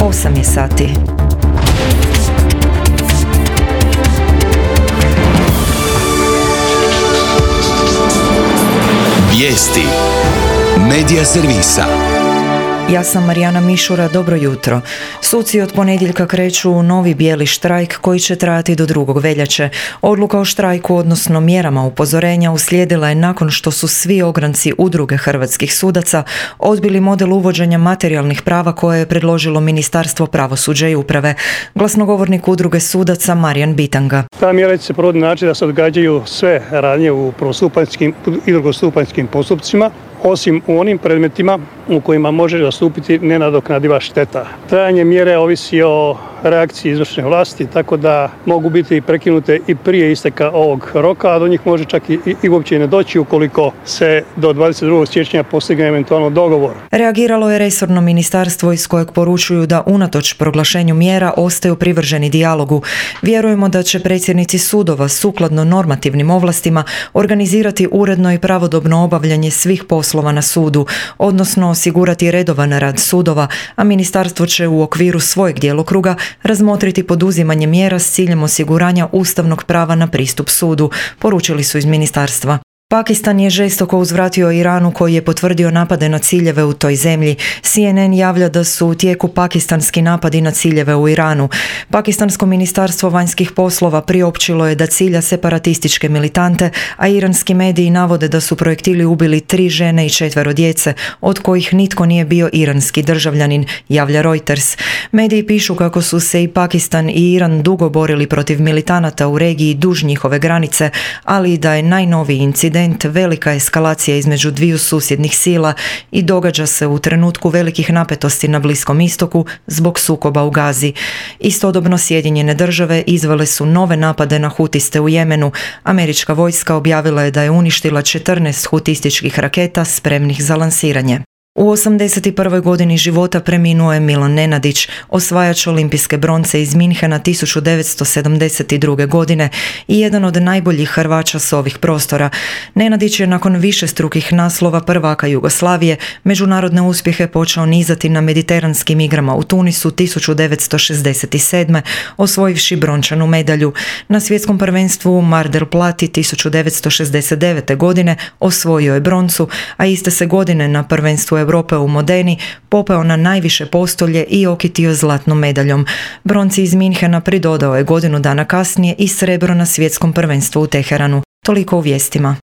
8 je sati. Vijesti Medija servisa. Ja sam Marijana Mišura, dobro jutro. Suci od ponedjeljka kreću u novi bijeli štrajk koji će trajati do 2. veljače. Odluka o štrajku, odnosno mjerama upozorenja, uslijedila je nakon što su svi ogranci udruge hrvatskih sudaca odbili model uvođenja materijalnih prava koje je predložilo Ministarstvo pravosuđa i uprave. Glasnogovornik udruge sudaca Marijan Bitanga. Ta mjera će se provoditi na način da se odgađaju sve radnje u prvostupanjskim i drugostupanjskim postupcima, osim u onim predmetima u kojima može nastupiti nenadoknadiva šteta. Trajanje mjere ovisi o reakciji izvršne vlasti, tako da mogu biti prekinute i prije isteka ovog roka, a do njih može čak i uopće ne doći ukoliko se do 22. siječnja postigne eventualno dogovor. Reagiralo je resorno ministarstvo iz kojeg poručuju da unatoč proglašenju mjera ostaju privrženi dijalogu. Vjerujemo da će predsjednici sudova sukladno normativnim ovlastima organizirati uredno i pravodobno obavljanje svih poslova na sudu, odnosno osigurati redovan rad sudova, a ministarstvo će u okviru svojeg djelokruga razmotriti poduzimanje mjera s ciljem osiguranja ustavnog prava na pristup sudu, poručili su iz ministarstva. Pakistan je žestoko uzvratio Iranu koji je potvrdio napade na ciljeve u toj zemlji. CNN javlja da su u tijeku pakistanski napadi na ciljeve u Iranu. Pakistansko ministarstvo vanjskih poslova priopćilo je da cilja separatističke militante, a iranski mediji navode da su projektili ubili 3 žene i 4 djece, od kojih nitko nije bio iranski državljanin, javlja Reuters. Mediji pišu kako su se i Pakistan i Iran dugo borili protiv militanata u regiji duž njihove granice, ali i da je najnoviji incident velika eskalacija između dviju susjednih sila i događa se u trenutku velikih napetosti na Bliskom istoku zbog sukoba u Gazi. Istodobno Sjedinjene države izvele su nove napade na hutiste u Jemenu. Američka vojska objavila je da je uništila 14 hutističkih raketa spremnih za lansiranje. U 81. godini života preminuo je Milan Nenadić, osvajač olimpijske bronce iz Minhena 1972. godine i jedan od najboljih Hrvaća s ovih prostora. Nenadić je nakon višestrukih naslova prvaka Jugoslavije međunarodne uspjehe počeo nizati na mediteranskim igrama u Tunisu 1967. osvojivši brončanu medalju. Na svjetskom prvenstvu u Mar del Plati 1969. godine osvojio je broncu, a iste se godine na prvenstvu Europe u Modeni popeo na najviše postolje i okitio zlatnom medaljom. Bronci iz Minhena pridodao je godinu dana kasnije i srebro na svjetskom prvenstvu u Teheranu. Toliko u vijestima.